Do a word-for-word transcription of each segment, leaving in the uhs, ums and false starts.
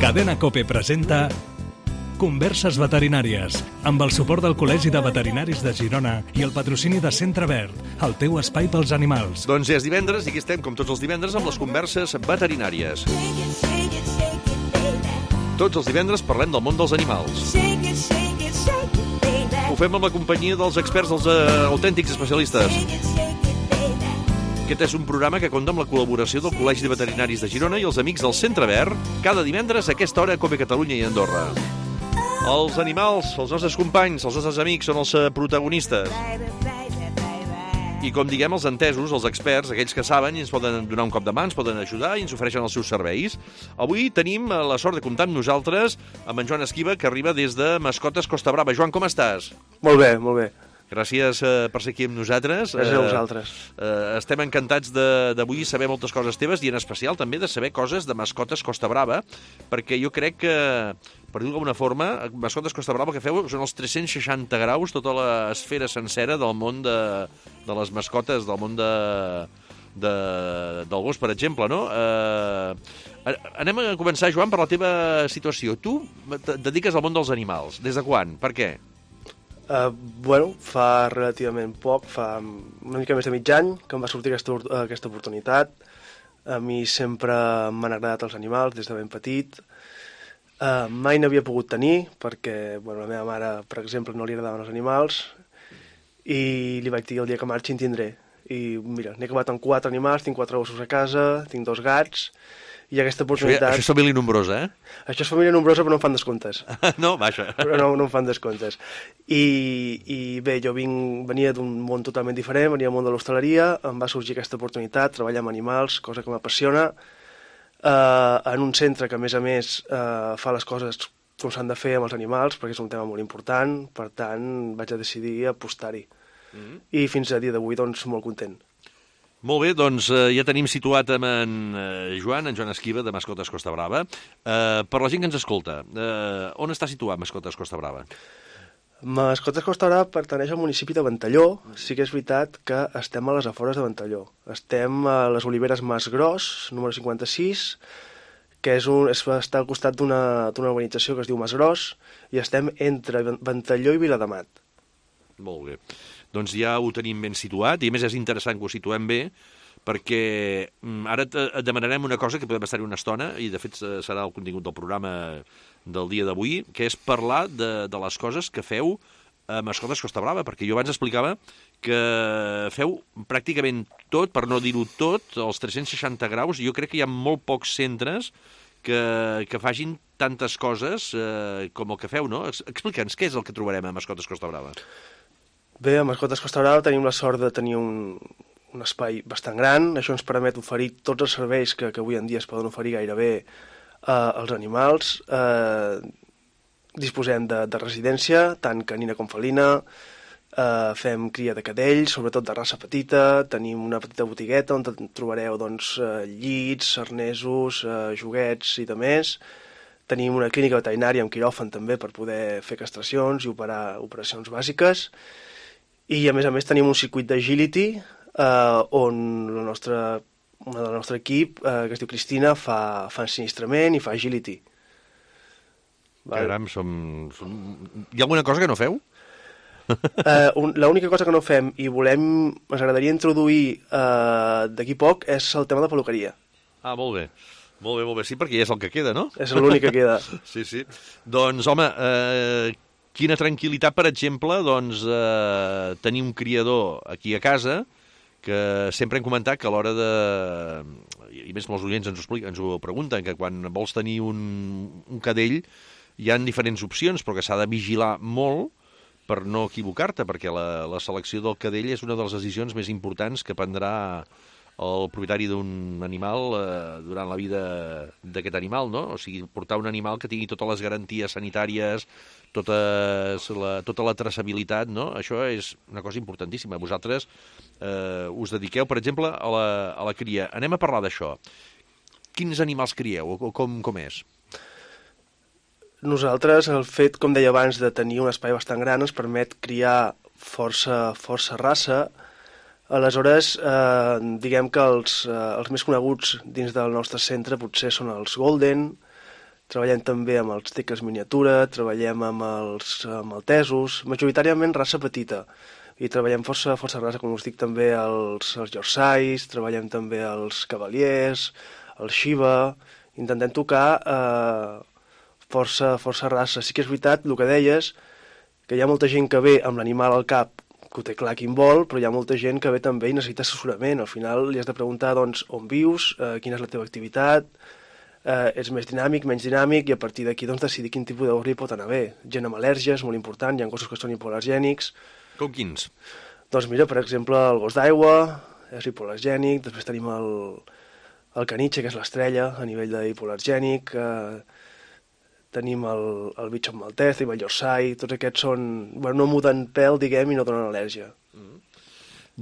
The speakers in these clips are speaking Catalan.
Cadena COPE presenta Converses Veterinàries, amb el suport del Col·legi de Veterinaris de Girona i el patrocini de Centre Verd, el teu espai pels animals. Doncs ja és divendres i aquí estem, com tots els divendres, amb les converses veterinàries. Tots els divendres parlem del món dels animals. Ho fem amb la companyia dels experts, dels uh, autèntics especialistes. Aquest és un programa que compta amb la col·laboració del Col·legi de Veterinaris de Girona i els amics del Centre Verd, cada divendres a aquesta hora a COPE Catalunya i Andorra. Els animals, els nostres companys, els nostres amics, són els protagonistes. I com diguem, els entesos, els experts, aquells que saben i ens poden donar un cop de mà, ens poden ajudar i ens ofereixen els seus serveis. Avui tenim la sort de comptar amb nosaltres amb en Joan Esquiva, que arriba des de Mascotes Costa Brava. Joan, com estàs? Molt bé, molt bé. Gràcies uh, per ser aquí amb nosaltres. Gràcies a vosaltres. Uh, uh, estem encantats d'avui saber moltes coses teves i en especial també de saber coses de Mascotes Costa Brava, perquè jo crec que, per dir-ho d'alguna forma, Mascotes Costa Brava que feu són els tres-cents seixanta graus, tota l'esfera sencera del món de, de les mascotes, del món de, de, del gos, per exemple, no? Uh, anem a començar, Joan, per la teva situació. Tu et dediques al món dels animals. Des de quan? Per què? Uh, bueno, fa relativament poc, fa una mica més de mig any que em va sortir aquesta, aquesta oportunitat. A mi sempre m'han agradat els animals des de ben petit. Uh, mai n'havia pogut tenir perquè bueno, la meva mare, per exemple, no li agradaven els animals i li vaig dir el dia que marxi en tindré. I mira, n'he acabat amb quatre animals, tinc quatre gossos a casa, tinc dos gats i aquesta oportunitat... Això, ja, això és família nombrosa, eh? Això és família nombrosa però no em fan descomptes. No, vaja. Però no, no em fan descomptes. I, i bé, jo vinc, venia d'un món totalment diferent, venia del món de l'hostaleria, em va sorgir aquesta oportunitat, treballar amb animals, cosa que m'apassiona, eh, en un centre que a més a més eh, fa les coses com s'han de fer amb els animals, perquè és un tema molt important, per tant vaig a decidir apostar-hi. Mm-hmm. I fins a dia d'avui, doncs, molt content. Molt bé, doncs eh, ja tenim situat amb en eh, Joan, en Joan Esquiva, de Mascotes Costa Brava. Eh, per la gent que ens escolta, eh, on està situat Mascotes Costa Brava? Mascotes Costa Brava pertaneix al municipi de Ventalló. Sí que és veritat que estem a les afores de Ventalló. Estem a les Oliveres Mas Gros, número cinquanta-sis, que és un, és, està al costat d'una urbanització que es diu Mas Gros, i estem entre Ventalló i Viladamat. Molt bé. Doncs ja ho tenim ben situat, i a més és interessant que ho situem bé, perquè ara et demanarem una cosa que podem estar-hi una estona, i de fet serà el contingut del programa del dia d'avui, que és parlar de, de les coses que feu a Mascotes Costa Brava, perquè jo abans explicava que feu pràcticament tot, per no dir-ho tot, els tres-cents seixanta graus. Jo crec que hi ha molt pocs centres que, que facin tantes coses eh, com el que feu, no? Explica'ns què és el que trobarem a Mascotes Costa Brava. Bé, a Mascotes Costa Brava tenim la sort de tenir un, un espai bastant gran. Això ens permet oferir tots els serveis que, que avui en dia es poden oferir gairebé eh, als animals. Eh, disposem de, de residència, tant canina com felina, eh, fem cria de cadells, sobretot de raça petita, tenim una petita botigueta on trobareu doncs, eh, llits, arnesos, eh, joguets i de més. Tenim una clínica veterinària amb quiròfan també per poder fer castracions i operar operacions bàsiques. I a més a més tenim un circuit d'agility eh, on la nostra, una del nostre equip, eh, que es diu Cristina, fa, fa ensinistrament i fa agility. Caram, som, som... Hi ha alguna cosa que no feu? eh, L'única cosa que no fem i volem, ens agradaria introduir eh, d'aquí poc és el tema de peluqueria. Ah, molt bé. Molt bé, molt bé. Sí, perquè ja és el que queda, no? És l'únic que queda. Sí, sí. Doncs, home, eh, quina tranquil·litat, per exemple, doncs, eh, tenir un criador aquí a casa, que sempre hem comentat que a l'hora de... I més molts oients ens ho, explica, ens ho pregunten, que quan vols tenir un, un cadell hi ha diferents opcions, però que s'ha de vigilar molt per no equivocar-te, perquè la, la selecció del cadell és una de les decisions més importants que prendrà el propietari d'un animal eh, durant la vida d'aquest animal, no? O sigui, portar un animal que tingui totes les garanties sanitàries, totes la, tota la traçabilitat, no? Això és una cosa importantíssima. Vosaltres eh, us dediqueu, per exemple, a la, a la cria. Anem a parlar d'això. Quins animals crieu o com, com és? Nosaltres, el fet, com deia abans, de tenir un espai bastant gran ens permet criar força, força raça. Aleshores, eh, diguem que els, eh, els més coneguts dins del nostre centre potser són els Golden, treballem també amb els teques miniatura, treballem amb els maltesos, majoritàriament raça petita, i treballem força, força raça, com us dic, també els, els Yorkshires, treballem també els Cavaliers, el Shiba, intentem tocar eh, força, força raça. Sí que és veritat, el que deies, que hi ha molta gent que ve amb l'animal al cap, que ho té clar quin vol, però hi ha molta gent que ve també i necessita assessorament. Al final li has de preguntar doncs, on vius, eh, quina és la teva activitat, eh, ets més dinàmic, menys dinàmic, i a partir d'aquí doncs, decidir quin tipus de gos li pot anar bé. Gent amb al·lèrgies, molt important, hi ha gossos que són hipoal·lergènics. Com quins? Doncs mira, per exemple, el gos d'aigua és hipoal·lergènic, després tenim el, el caniche, que és l'estrella a nivell d'hipoal·lergènic, eh, tenim el, el bitxot maltès, tenim el Yorkshire, tots aquests són, bueno, no muden pèl, diguem, i no donen al·lèrgia. Mm.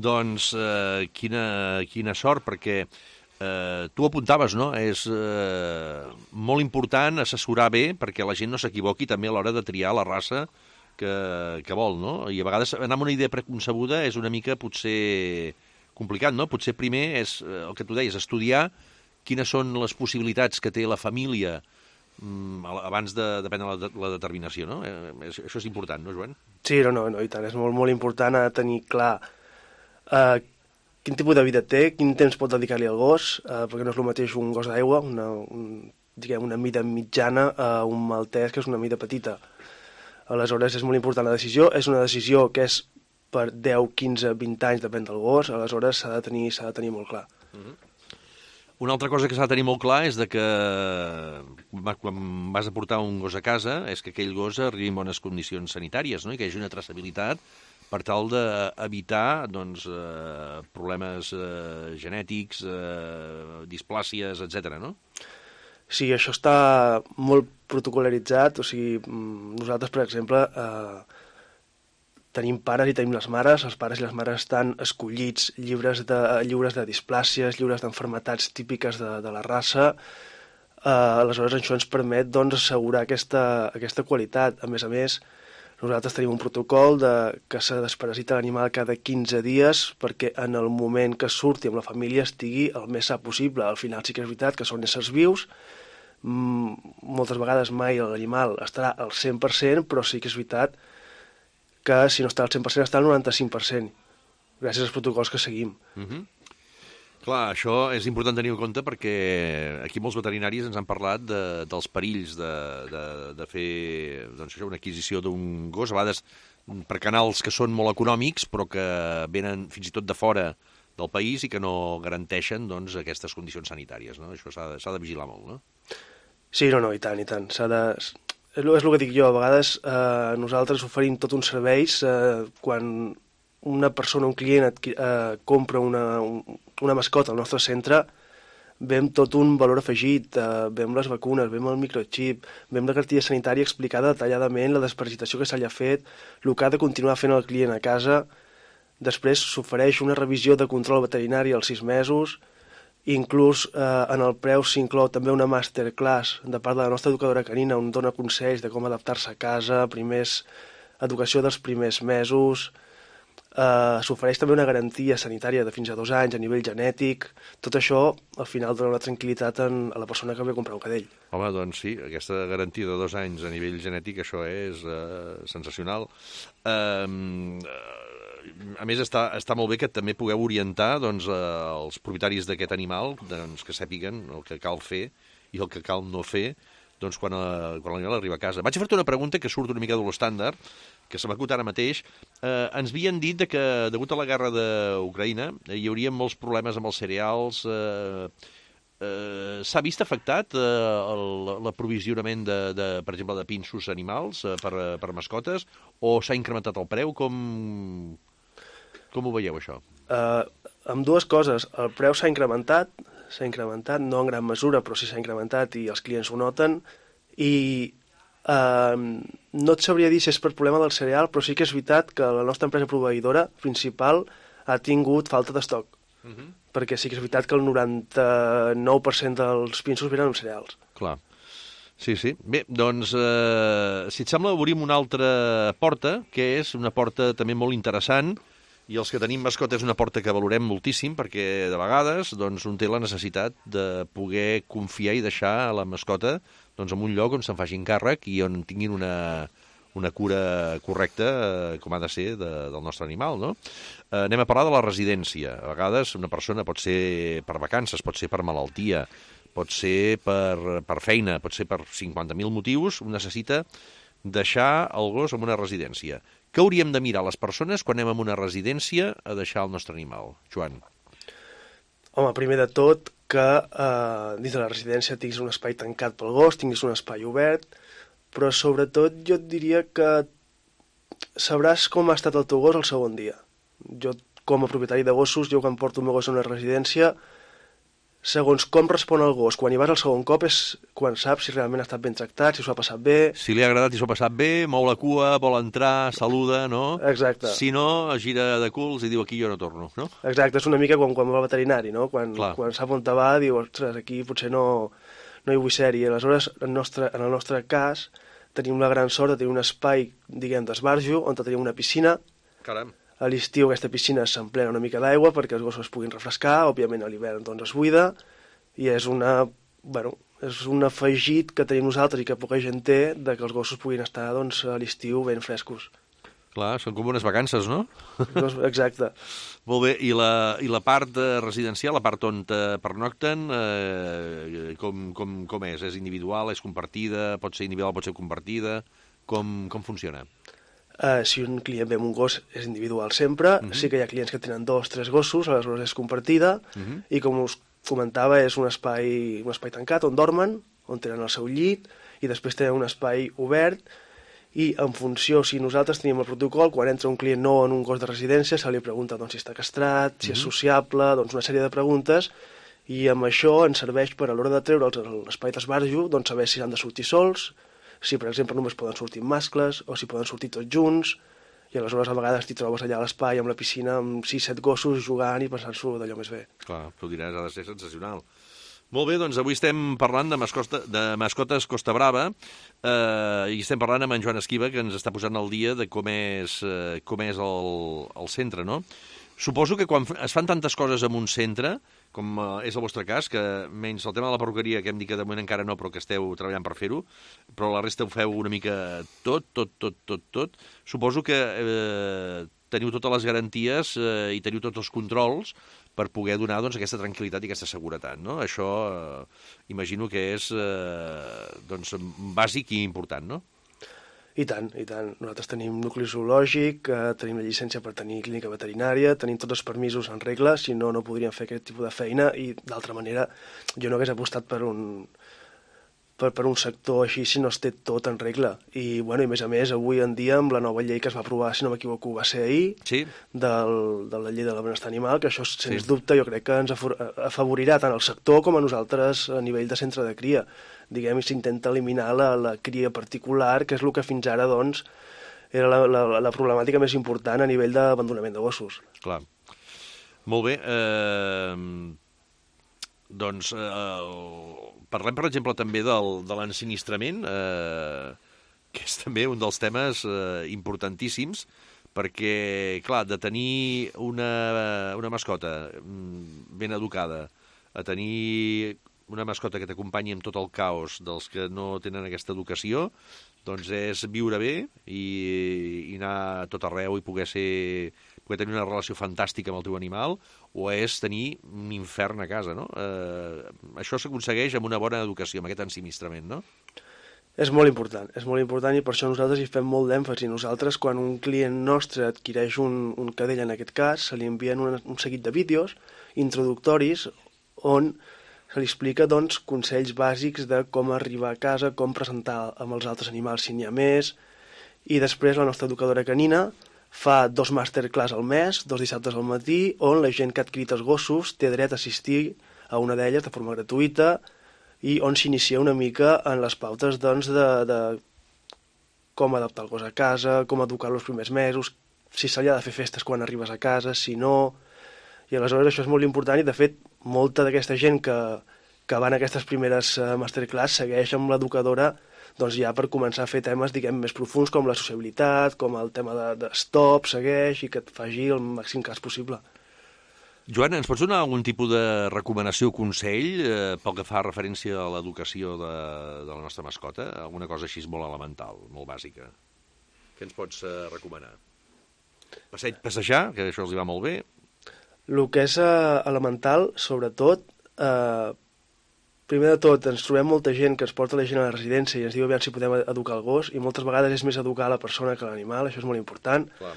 Doncs eh, quina, quina sort, perquè eh, tu apuntaves, no? És eh, molt important assessorar bé perquè la gent no s'equivoqui també a l'hora de triar la raça que, que vol, no? I a vegades anar amb una idea preconcebuda és una mica potser complicat, no? Potser primer és el que tu deies, estudiar quines són les possibilitats que té la família abans de, de prendre la, la determinació, no? Eh, això és important, no, Joan? Sí, no, no, no, i tant, és molt, molt important tenir clar eh, quin tipus de vida té, quin temps pot dedicar-li al gos, eh, perquè no és el mateix un gos d'aigua, una, un, diguem, una mida mitjana a un maltès que és una mida petita. Aleshores, és molt important la decisió. És una decisió que és per deu, quinze, vint anys, depèn del gos. Aleshores, s'ha de tenir, s'ha de tenir molt clar. Mm-hmm. Una altra cosa que s'ha de tenir molt clar és de que quan vas a portar un gos a casa és que aquell gos arribi en bones condicions sanitàries, no? I que hi hagi una traçabilitat per tal d'evitar doncs, eh, problemes eh, genètics, eh, displàcies, etcètera, no? Sí, això està molt protocolaritzat, o sigui, nosaltres, per exemple, eh, tenim pares i tenim les mares, els pares i les mares estan escollits lliures de, lliures de displàcies, lliures d'enfermetats típiques de, de la raça, eh, aleshores això ens permet doncs, assegurar aquesta, aquesta qualitat. A més a més, nosaltres tenim un protocol de, que s'ha desparasita l'animal cada quinze dies perquè en el moment que surti amb la família estigui el més sa possible. Al final sí que és veritat que són éssers vius, moltes vegades mai l'animal estarà al cent per cent, però sí que és veritat que si no està al cent per cent està al noranta-cinc per cent, gràcies als protocols que seguim. Mm-hmm. Clar, això és important tenir en compte perquè aquí molts veterinaris ens han parlat de, dels perills de, de, de fer doncs, això, una adquisició d'un gos, a vegades per canals que són molt econòmics però que venen fins i tot de fora del país i que no garanteixen doncs, aquestes condicions sanitàries, no? Això s'ha de, s'ha de vigilar molt, no? Sí, no, no, i tant, i tant. S'ha de... És el que dic jo, a vegades eh, nosaltres oferim tots uns serveis eh, quan una persona, un client adqui... eh, compra una, un, una mascota al nostre centre, vem tot un valor afegit, eh, vem les vacunes, vem el microchip, vem la cartilla sanitària explicada detalladament, la desparasitació que se li ha fet, el que ha de continuar fent el client a casa. Després s'ofereix una revisió de control veterinari als sis mesos, inclús eh, en el preu s'inclou també una masterclass de part de la nostra educadora canina on dona consells de com adaptar-se a casa, primers, educació dels primers mesos, eh, s'ofereix també una garantia sanitària de fins a dos anys a nivell genètic. Tot això al final dona una tranquil·litat en, a la persona que ve a comprar un cadell. Home, doncs sí, aquesta garantia de dos anys a nivell genètic, això és eh, sensacional. Eh, A més, està, està molt bé que també pugueu orientar doncs, els propietaris d'aquest animal doncs, que sàpiguen el que cal fer i el que cal no fer doncs, quan, a, quan l'animal arriba a casa. Vaig a fer-te una pregunta que surt una mica de l'estàndard, que se m'ha acut ara mateix. Eh, ens havien dit de que, degut a la guerra d'Ucraïna, eh, hi hauria molts problemes amb els cereals. Eh, eh, S'ha vist afectat eh, l'aprovisionament, de, de, per exemple, de pinsos animals eh, per, per mascotes, o s'ha incrementat el preu? Com... Com ho veieu, això? Uh, amb dues coses. El preu s'ha incrementat, s'ha incrementat, no en gran mesura, però sí s'ha incrementat i els clients ho noten. I uh, no et sabria dir si és per problema del cereal, però sí que és veritat que la nostra empresa proveïdora principal ha tingut falta d'estoc. Uh-huh. Perquè sí que és veritat que el noranta-nou per cent dels pinsos venen amb cereals. Clar. Sí, sí. Bé, doncs, eh, si et sembla, obrim una altra porta, que és una porta també molt interessant, I els que tenim mascota és una porta que valorem moltíssim perquè de vegades doncs, un té la necessitat de poder confiar i deixar la mascota doncs, en un lloc on se'n facin càrrec i on tinguin una, una cura correcta, eh, com ha de ser, de, del nostre animal, no? Eh, anem a parlar de la residència. A vegades una persona pot ser per vacances, pot ser per malaltia, pot ser per, per feina, pot ser per cinquanta mil motius, necessita deixar el gos en una residència. Què hauríem de mirar les persones quan anem a una residència a deixar el nostre animal? Joan. Home, primer de tot, que eh, dins de la residència tinguis un espai tancat pel gos, tinguis un espai obert, però sobretot jo et diria que sabràs com ha estat el teu gos el segon dia. Jo, com a propietari de gossos, jo quan porto el meu gos a una residència, segons com respon el gos, quan hi vas el segon cop és quan saps si realment ha estat ben tractat, si s'ho ha passat bé... Si li ha agradat i s'ho ha passat bé, mou la cua, vol entrar, saluda, no? Exacte. Si no, gira de culs i diu aquí jo no torno, no? Exacte, és una mica quan, quan va al veterinari, no? Quan, quan sap on te va, diu, ostres, aquí potser no, no hi vull ser-hi. Aleshores, en, nostre, en el nostre cas, tenim la gran sort de tenir un espai, diguem, d'esbarjo, on tenim una piscina. Caram. A l'estiu aquesta piscina s'emplena una mica d'aigua perquè els gossos es puguin refrescar, òbviament a l'hivern doncs es buida, i és una, bueno, és un afegit que tenim nosaltres i que poca gent té de que els gossos puguin estar doncs, a l'estiu ben frescos. Clar, són com unes vacances, no? Exacte. Molt bé, i la, i la part residencial, la part on pernocten, eh, com, com, com és? És individual, és compartida, pot ser individual, pot ser compartida? Com, com funciona? Uh, si un client ve amb un gos és individual sempre, uh-huh. Sí que hi ha clients que tenen dos, tres gossos, aleshores és compartida, uh-huh. I com us comentava és un espai, un espai tancat on dormen, on tenen el seu llit, i després tenen un espai obert, i en funció, si nosaltres tenim el protocol, quan entra un client nou en un gos de residència, se li pregunta doncs, si està castrat, si uh-huh. és sociable, doncs una sèrie de preguntes, i amb això ens serveix per a l'hora de treure'ls a l'espai d'esbarjo, doncs saber si han de sortir sols, si, per exemple, només poden sortir mascles o si poden sortir tots junts, i aleshores a vegades t'hi trobes allà a l'espai amb la piscina amb sis set gossos jugant i passant-s'ho d'allò més bé. Clar, tu diràs, ha de ser sensacional. Molt bé, doncs avui estem parlant de, mascota, de mascotes Costa Brava eh, i estem parlant amb en Joan Esquiva, que ens està posant al dia de com és, eh, com és el, el centre, no? Suposo que quan es fan tantes coses en un centre, com és el vostre cas, que menys el tema de la perruqueria, que hem dit que de moment encara no, però que esteu treballant per fer-ho, però la resta ho feu una mica tot, tot, tot, tot, tot. Suposo que eh, teniu totes les garanties eh, i teniu tots els controls per poder donar doncs, aquesta tranquil·litat i aquesta seguretat, no? Això eh, imagino que és eh, doncs, bàsic i important, no? I tant, i tant. Nosaltres tenim nucli zoològic, eh, tenim la llicència per tenir clínica veterinària, tenim tots els permisos en regla, si no, no podríem fer aquest tipus de feina i, d'altra manera, jo no hagués apostat per un, per, per un sector així si no es té tot en regla. I, bueno, i a més a més, avui en dia, amb la nova llei que es va aprovar, si no m'equivoco, va ser ahir, sí. del, de la llei de la benestar animal, que això, sens sí. dubte, jo crec que ens afavorirà tant el sector com a nosaltres a nivell de centre de cria. Diguem, i s'intenta eliminar la, la cria particular, que és el que fins ara, doncs, era la, la, la problemàtica més important a nivell d'abandonament de gossos. Clar. Molt bé. Eh, doncs, eh, parlem, per exemple, també del, de l'ensinistrament, eh, que és també un dels temes eh, importantíssims, perquè, clar, de tenir una, una mascota ben educada, a tenir una mascota que t'acompanyi amb tot el caos dels que no tenen aquesta educació, doncs és viure bé i, i anar a tot arreu i poder ser, poder tenir una relació fantàstica amb el teu animal, o és tenir un infern a casa, no? Eh, això s'aconsegueix amb una bona educació, amb aquest ensinistrament, no? És molt important, és molt important i per això nosaltres hi fem molt d'èmfasi. Nosaltres, quan un client nostre adquireix un, un cadell, en aquest cas, se li envien un, un seguit de vídeos introductoris on se li explica doncs, consells bàsics de com arribar a casa, com presentar amb els altres animals si n'hi ha més, i després la nostra educadora canina fa dos masterclass al mes, dos dissabtes al matí, on la gent que ha adquirit els gossos té dret a assistir a una d'elles de forma gratuïta i on s'inicia una mica en les pautes doncs, de, de com adaptar el gos a casa, com educar-lo els primers mesos, si se li ha de fer festes quan arribes a casa, si no... I aleshores això és molt important i, de fet, molta d'aquesta gent que, que va en aquestes primeres masterclass segueix amb l'educadora doncs ja per començar a fer temes, diguem, més profuns, com la sociabilitat, com el tema de, de stop, segueix, i que et faci el màxim cas possible. Joan, ens pots donar algun tipus de recomanació o consell eh, pel que fa referència a l'educació de, de la nostra mascota? Alguna cosa així molt elemental, molt bàsica. Què ens pots eh, recomanar? Passeig, passejar, que això els hi va molt bé. El que és eh, elemental, sobretot, eh, primer de tot, ens trobem molta gent que ens porta la gent a la residència i ens diu aviam si podem educar el gos, i moltes vegades és més educar la persona que l'animal, això és molt important. Clar.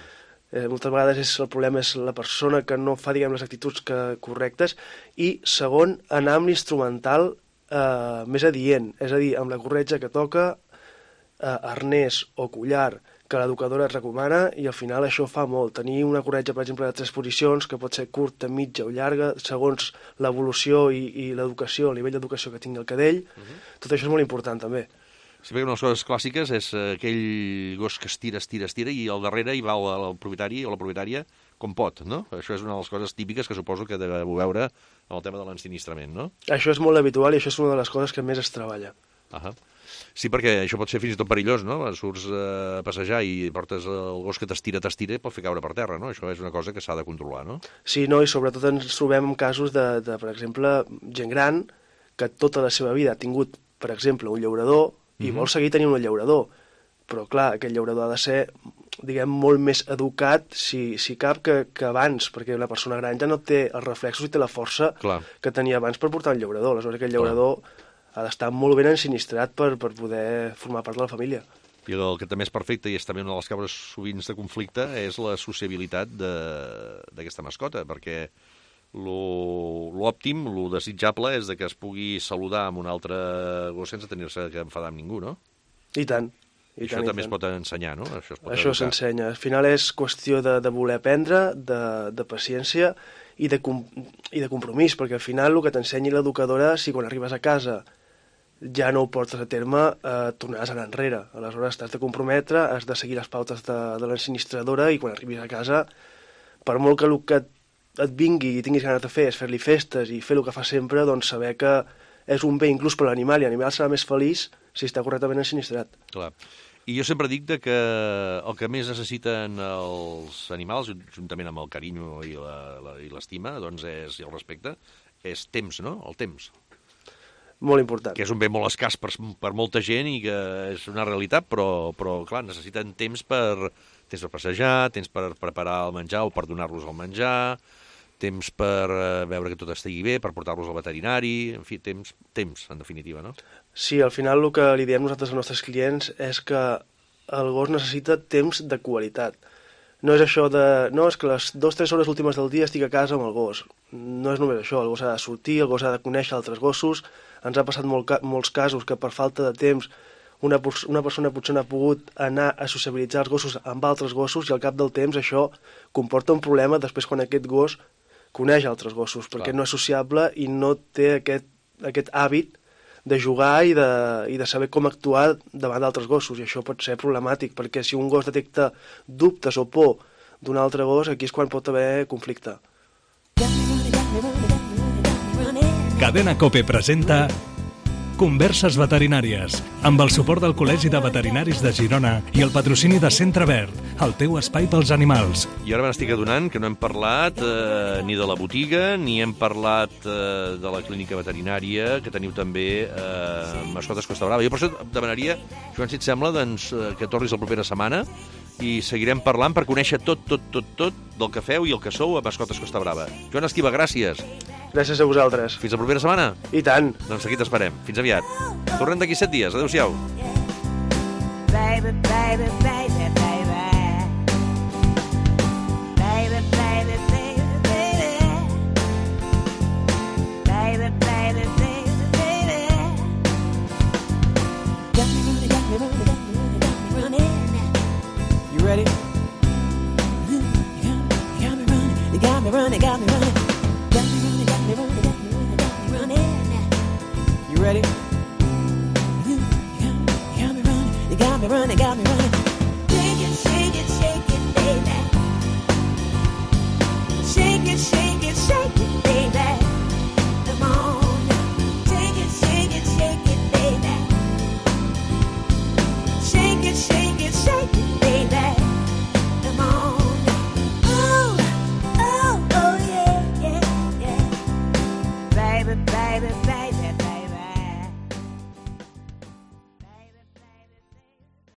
Eh, moltes vegades és, el problema és la persona que no fa, diguem, les actituds que, correctes, i segon, anar amb l'instrumental eh, més adient, és a dir, amb la corretja que toca, eh, arnès o collar que l'educadora et recomana, i al final això fa molt. Tenir una corretja, per exemple, de tres posicions, que pot ser curta, mitja o llarga, segons l'evolució i, i l'educació, el nivell d'educació que tingui el cadell, uh-huh. Tot això és molt important també. Sí, perquè una de les coses clàssiques és aquell gos que estira, estira, estira, i al darrere hi va el, el propietari o la propietària com pot, no? Això és una de les coses típiques que suposo que deveu veure en el tema de l'ensinistrament, no? Això és molt habitual i això és una de les coses que més es treballa. Ahà. Sí, perquè això pot ser fins i tot perillós, no? Surts a passejar i portes el gos que t'estira, t'estira i pot fer caure per terra, no? Això és una cosa que s'ha de controlar, no? Sí, no, i sobretot ens trobem en casos de, de, per exemple, gent gran que tota la seva vida ha tingut, per exemple, un llaurador i mm-hmm. vol seguir tenint un llaurador, però clar, aquest llaurador ha de ser, diguem, molt més educat, si, si cap, que, que abans, perquè la persona gran ja no té els reflexos i té la força clar. Que tenia abans per portar un llaurador. Aleshores, aquest llaurador clar. Ha d'estar molt ben ensinistrat per, per poder formar part de la família. I el que també és perfecte, i és també una de les causes sovint de conflicte, és la sociabilitat d'aquesta mascota, perquè l'òptim, lo desitjable, és de que es pugui saludar amb un altre gos sense tenir-se que enfadar amb ningú, no? I tant. I I això tant, també tant. es pot ensenyar, no? Això, això s'ensenya. Al final és qüestió de, de voler aprendre, de, de paciència i de, i de compromís, perquè al final el que t'ensenyi l'educadora, si quan arribes a casa ja no ho portes a terme, eh, tornaràs a anar enrere. Aleshores t'has de comprometre, has de seguir les pautes de, de l'ensinistradora, i quan arribis a casa, per molt que el que et, et vingui i tinguis ganes de fer és fer-li festes i fer el que fa sempre, doncs saber que és un bé inclús per l'animal, i l'animal serà més feliç si està correctament ensinistrat. Clar. I jo sempre dic de que el que més necessiten els animals, juntament amb el carinyo i l'estima, doncs és, i el respecte, és temps, no? El temps. Molt important. Que és un bé molt escàs per, per molta gent i que és una realitat, però, però clar, necessiten temps per, temps per passejar, temps per preparar el menjar o per donar-los el menjar, temps per uh, veure que tot estigui bé, per portar-los al veterinari, en fi, temps, temps, en definitiva, no? Sí, al final el que li diem nosaltres als nostres clients és que el gos necessita temps de qualitat. No és això de... No, és que les dues o tres hores últimes del dia estic a casa amb el gos. No és només això, el gos ha de sortir, el gos ha de conèixer altres gossos. Ens ha passat molt, molts casos que per falta de temps una, una persona potser no ha pogut anar a sociabilitzar els gossos amb altres gossos, i al cap del temps això comporta un problema després quan aquest gos coneix altres gossos, perquè Clar. No és sociable i no té aquest, aquest hàbit de jugar i de, i de saber com actuar davant d'altres gossos, i això pot ser problemàtic, perquè si un gos detecta dubtes o por d'un altre gos, aquí és quan pot haver conflicte. Cadena COPE presenta Converses veterinàries, amb el suport del Col·legi de Veterinaris de Girona i el patrocini de Centre Verd, el teu espai pels animals. I ara me n'estic adonant que no hem parlat eh, ni de la botiga, ni hem parlat eh, de la clínica veterinària, que teniu també eh, Mascotes Costa Brava. Jo per això et demanaria, Joan, si et sembla, doncs, que tornis la propera setmana i seguirem parlant per conèixer tot, tot, tot, tot del que feu i el que sou a Mascotes Costa Brava. Joan Esquiva, gràcies. Gràcies a vosaltres. Fins la propera setmana. I tant. Doncs aquí t'esperem. Fins aviat. Tornem d'aquí set dies. Adéu-siau. Baby, baby, baby, baby. Baby, baby, baby, baby. Baby, baby, baby, baby. Got me running, got me running, got me running, got me running. You ready? You got me running, you got me running, got me running. Got me running, got me running, got me running, got me running. You ready? You got me running, you got me running, got me running.